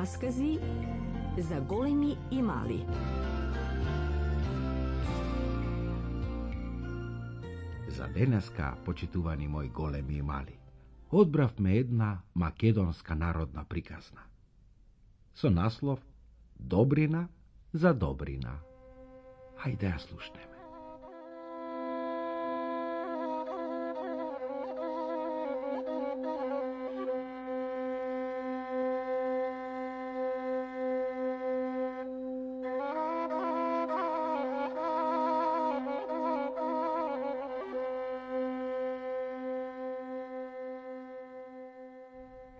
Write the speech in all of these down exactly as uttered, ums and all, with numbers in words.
Раскази за големи и мали. За денеска, почитувани мои големи и мали, одбравме една македонска народна приказна со наслов Добрина за добрина. Хајде ја слушнеме.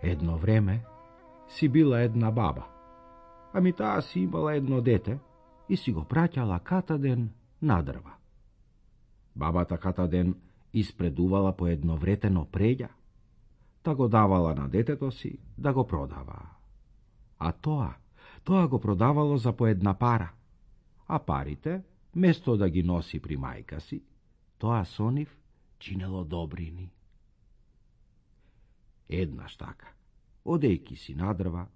Едно време си била една баба, ами таа си имала едно дете и си го праќала катаден на дрва. Бабата катаден испредувала по едно вретено преѓа, та го давала на детето си да го продава. А тоа, тоа го продавало за по една пара, а парите, место да ги носи при мајка си, тоа со нив чинело добрини. Еднаш така, одејки си на дрва,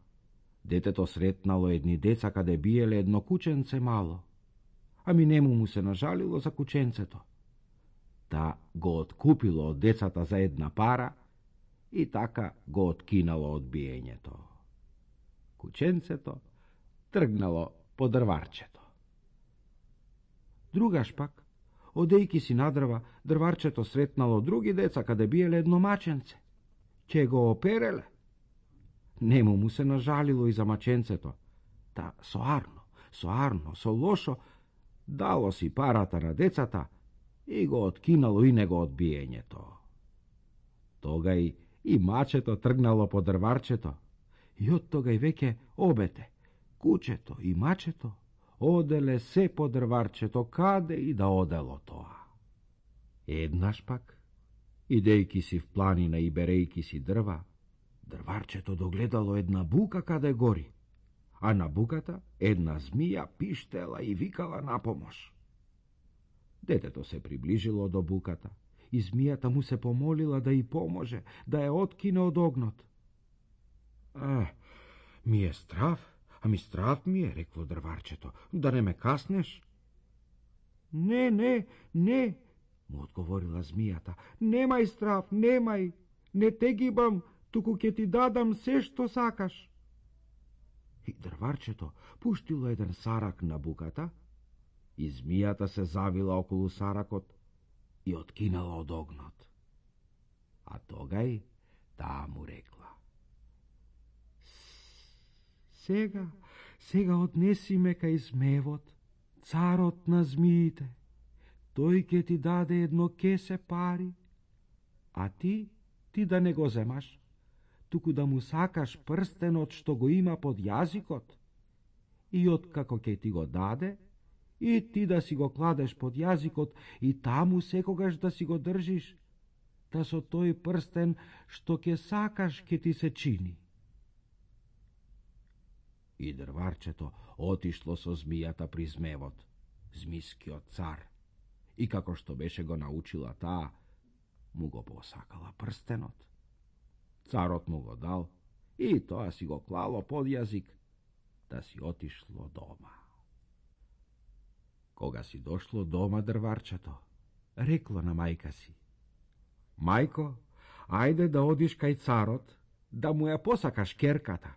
детето сретнало едни деца каде биеле едно кученце мало, ами нему му се нажалило за кученцето. Та го откупило од децата за една пара и така го откинало од биењето. Кученцето тргнало по дрварчето. Другаш пак, одејки си на дрва, дрварчето сретнало други деца каде биеле едно маченце. Ќе го опереле. Нему му се нажалило и за маченцето, та соарно, соарно, со лошо, дало си парата на децата и го откинало и него од биењето. Тогај и мачето тргнало по дрварчето, и од тогај веќе обете, кучето и мачето, оделе се по дрварчето, каде и да одело тоа. Еднаш пак, идејки си в планина и берејки си дрва, дрварчето догледало една бука каде гори, а на буката една змија пиштела и викала на помош. Детето се приближило до буката и змијата му се помолила да и поможе, да ја откине од огнот. А, ми е страв, ами страв ми е, рекло дрварчето, да не ме каснеш? Не, не, не, му одговорила змијата, немај страв, немај, не те гибам, туку ќе ти дадам се што сакаш. И дрварчето пуштило еден сарак на буката, и змијата се завила околу саракот и откинала од огнот. А тогај таа му рекла: Сега, сега однеси ме кај змевот, царот на змиите. Тој ќе ти даде едно кесе пари, а ти, ти да не го земаш, туку да му сакаш прстенот што го има под јазикот, и откако ќе ти го даде, и ти да си го кладеш под јазикот и таму секогаш да си го држиш, да со тој прстен што ќе сакаш ќе ти се чини. И дрварчето отишло со змијата при змевот, змискиот цар, и како што беше го научила таа, му го посакала прстенот. Царот му го дал и тоа си го клало под јазик, да си отишло дома. Кога си дошло дома дрварчето, рекло на мајка си: Мајко, ајде да одиш кај царот, да му ја посакаш керката.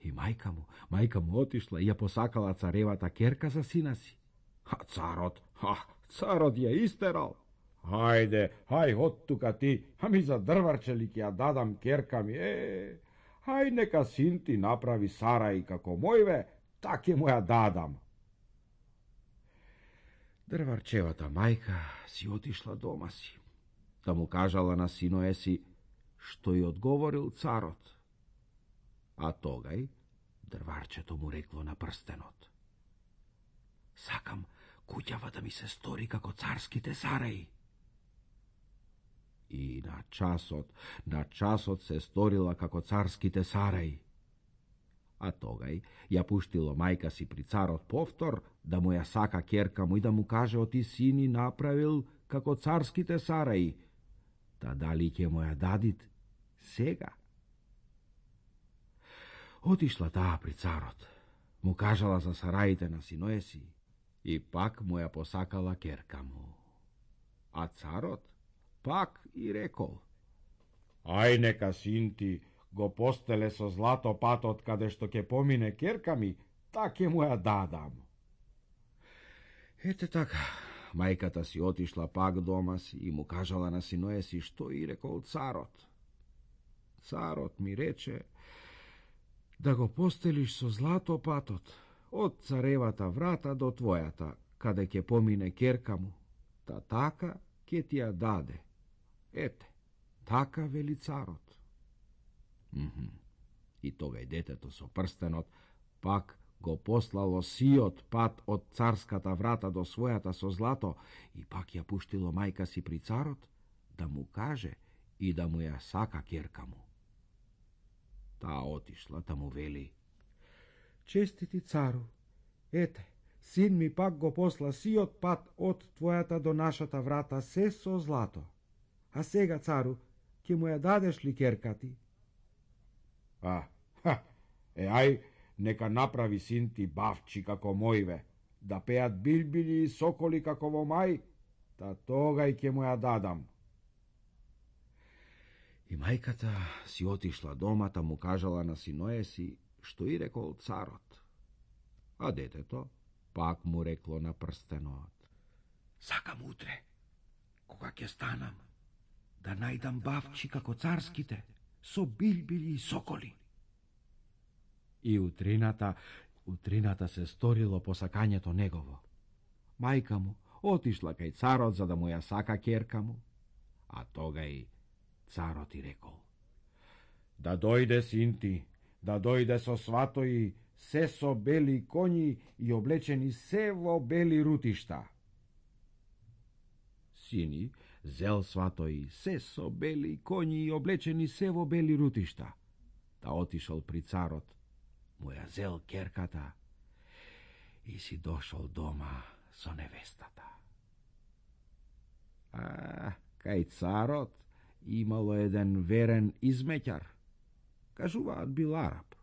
И мајка му, мајка му отишла и ја посакала царевата керка за сина си. А царот, ха, царот ја истерал. Хајде, хај од тука ти, ами за дрварче ли ќе ја дадам керка ми, е, хај нека син ти направи сарај како мојве, так ќе му ја дадам. Дрварчевата мајка си отишла дома си, да му кажала на синое си што ја одговорил царот. А тогај дрварчето му рекло на прстенот: Сакам куќава да ми се стори како царските сараи. И на часот, на часот се сторила како царските сараи. А тогај ја пуштило мајка си при царот повтор да му ја сака керка му и да му каже оти сини направил како царските сараи, та дали ќе му ја дадит сега? Отишла таа при царот, му кажала за сараите на синое си и пак му ја посакала керка му. А царот пак и рекол: ај нека син ти го постеле со злато патот каде што ќе помине керка ми, так ќе му ја дадам. Ете така, мајката си отишла пак дома си и му кажала на синое си што и рекол царот. Царот ми рече да го постелиш со злато патот од царевата врата до твојата, каде ќе помине керка му, та така ќе ти ја даде. Ете, така вели царот. Мхм. И тогај детето со прстенот пак го послало сиот пат од царската врата до својата со злато и пак ја пуштило мајка си при царот да му каже и да му ја сака керка му. Таа отишла да му вели: честити цару, ете, син ми пак го посла сиот пат од твојата до нашата врата се со злато. А сега, цару, ќе му ја дадеш ли керка ти? А, ха, е, ај, нека направи син ти бавчи како мојве, да пеат билбили и соколи како во мај, та тогај ќе му ја дадам. И мајката си отишла домата, му кажала на синое си што и рекол царот. А детето пак му рекло на прстенот: сакам утре, кога ќе станам, да најдам бавчи како царските, со билбили и соколи. И утрината, утрината се сторило посакањето негово. Мајка му отишла кај царот за да му ја сака керка му, а тогај царот и рекол: да дојде син ти, да дојде со сватои, се со бели коњи и облечени се во бели рутишта. Сини зел сватои, се со бели коњи и облечени се во бели рутишта. Та отишол при царот, му ја зел керката и си дошол дома со невестата. А, кај царот имало еден верен измеќар. Кажуваат бил Арап.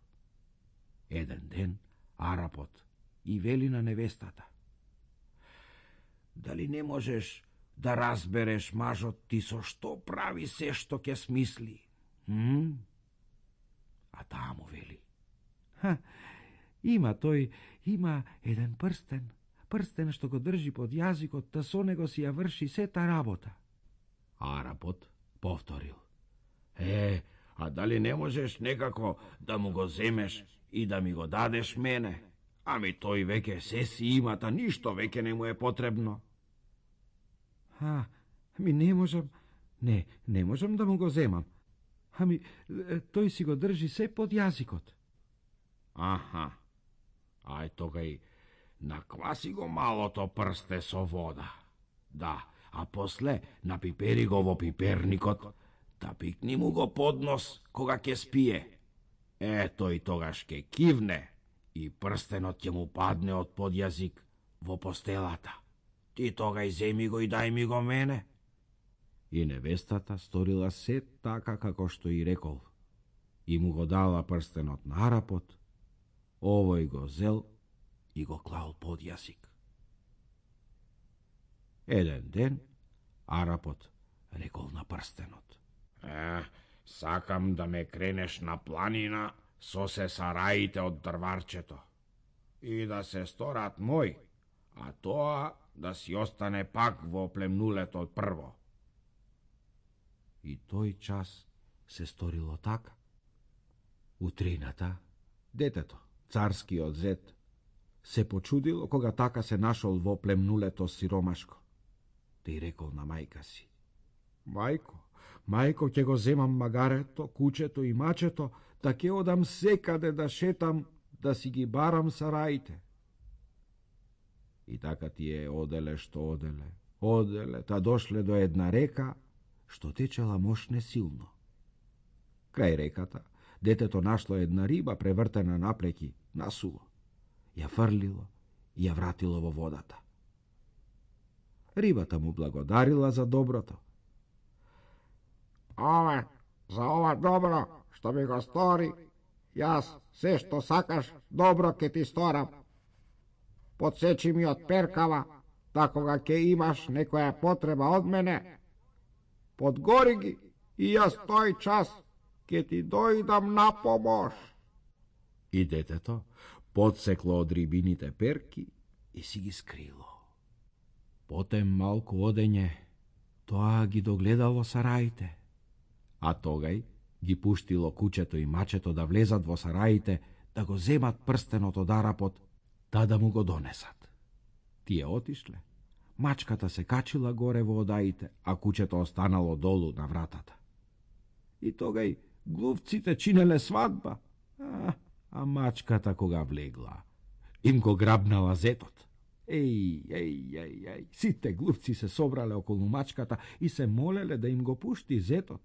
Еден ден Арапот и вели на невестата: дали не можеш да разбереш мажот ти со што прави се што ќе смисли? Hm? А таа му вели: ха, има тој, има еден прстен, прстен што го држи под јазикот, та со него си ја врши сета работа. Арапот повторил: е, а дали не можеш некако да му го земеш и да ми го дадеш мене? Ами тој веќе се си има, та ништо веќе не му е потребно. А, ами не можам, не, не можам да му го земам. Ами, тој си го држи се под јазикот. Аха, ај тогај, накваси го малото прсте со вода. Да, а после напипери го во пиперникот, да пикни му го под нос кога ќе спие. Е, тој тогаш ќе кивне и прстенот ќе му падне од подјазик во постелата. Ти тогај земи го и дај ми го мене. И невестата сторила се така како што и рекол. И му го дала прстенот на Арапот, овој го зел и го клал под јазик. Еден ден Арапот рекол на прстенот: е, сакам да ме кренеш на планина со се сараите од дрварчето и да се сторат мој, а тоа да си остане пак во племнулето од прво. И тој час се сторило така. Утрината детето, царскиот зет, се почудило кога така се нашол во племнулето сиромашко. Те и рекол на мајка си: мајко, мајко, ќе го земам магарето, кучето и мачето, да ќе одам секаде да шетам, да си ги барам сараите. И така тие оделе што оделе, оделе, та дошле до една река, што течела мошне силно. Крај реката, детето нашло една риба превртена наплеки, насуво. Ја фрлило и ја вратило во водата. Рибата му благодарила за доброто. Ове, за ова добро што ми го стори, Јас се што сакаш добро ке ти сторам. Подсечи ми од перкава, да кога ќе имаш некоја потреба од мене, подгори ги и јас тој час ке ти дојдам на помош. И детето подсекло од рибините перки и си ги скрило. Потем малку одење, тоа ги догледало сараите, а тогај ги пуштило кучето и мачето да влезат во сараите, да го земат прстенот од Арапот, та да му го донесат. Тие отишле, мачката се качила горе во одаите, а кучето останало долу на вратата. И тогај глувците чинеле свадба, а, а мачката кога влегла, им го грабнала зетот. Еј, еј, еј, еј, сите глувци се собрале околу мачката и се молеле да им го пушти зетот.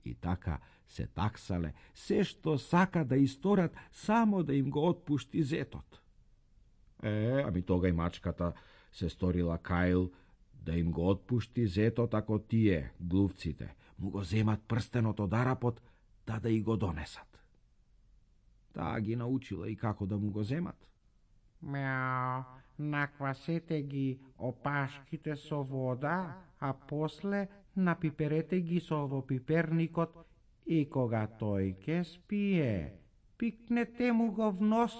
И така се таксале, се што сака да исторат, само да им го отпушти зетот. Е, ами тога и мачката се сторила каил да им го отпушти зетот, ако тие, глувците, му го земат прстенот од Арапот, да да и го донесат. Таа ги научила и како да му го земат. Мяу, наквасете ги опашките со вода, а после напиперете ги со во пиперникот и кога тој ке спие, пикнете му го в нос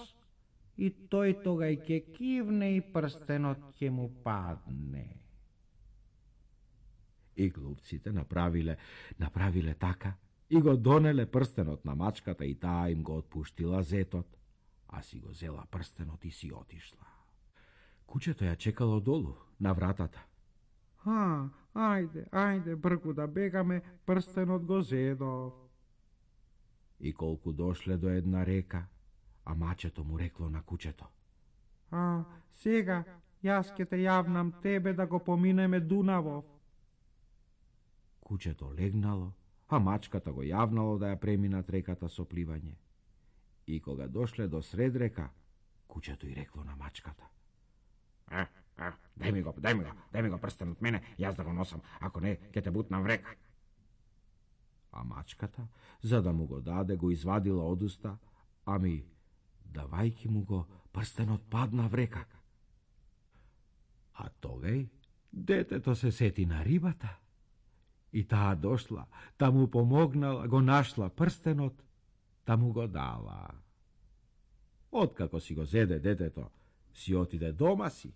и тој тогај ке кивне и прстенот ќе му падне. И глувците направиле, направиле така и го донеле прстенот на мачката и таа им го отпуштила зетот, а си го зела прстенот и си отишла. Кучето ја чекало долу, на вратата. А, ајде, ајде, бргу да бегаме, прстенот го зедов. И колку дошле до една река, а мачето му рекло на кучето. А, сега, јас ке те јавнам тебе да го поминеме Дунавов. Кучето легнало, а мачката го јавнало да ја преминат реката со пливање. И кога дошле до сред река, кучето и рекло на мачката. А, а, дај ми го, дај ми го, дај ми го прстен од мене, јас да го носам, ако не, ќе те бутнам в река. А мачката, за да му го даде, го извадила од уста, ами, давајки му го, прстенот падна в река. А тогај, детето се сети на рибата. И таа дошла, та му помогнала, го нашла прстенот, та му го дала. Откако си го зеде детето, си отиде дома си,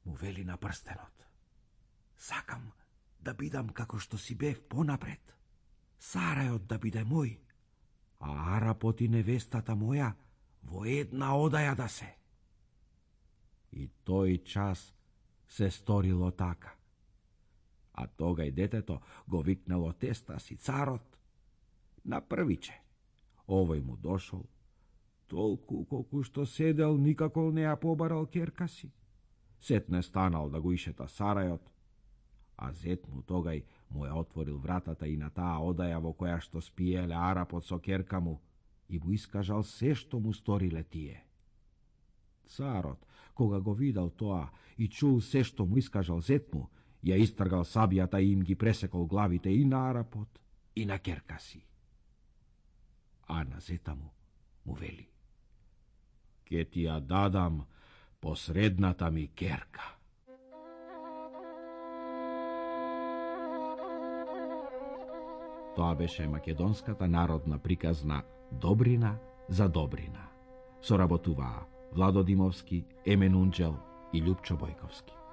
му вели на прстенот. Сакам да бидам како што си бев понапред, сарајот да биде мој, а Арапот и невестата моја во една одаја да се. И тој час се сторило така. А тога и детето го викнало теста си царот на првиче. Овој му дошол, толку колку што седел, никако не ја побарал керка си. Сетне станал да го ишета сарајот, а зет му тогај му ја отворил вратата и на таа одаја во која што спиеле Арапот со керка му и му искажал се што му сториле тие. Царот, кога го видал тоа и чул се што му искажал зет му, ја истргал сабијата и им ги пресекол главите и на Арапот и на керка си. А на зета му му вели: ке ти ја дадам посредната ми керка. Тоа беше македонската народна приказна Добрина за Добрина. Соработуваа Владо Димовски, Емен Унџел и Љупчо Бојковски.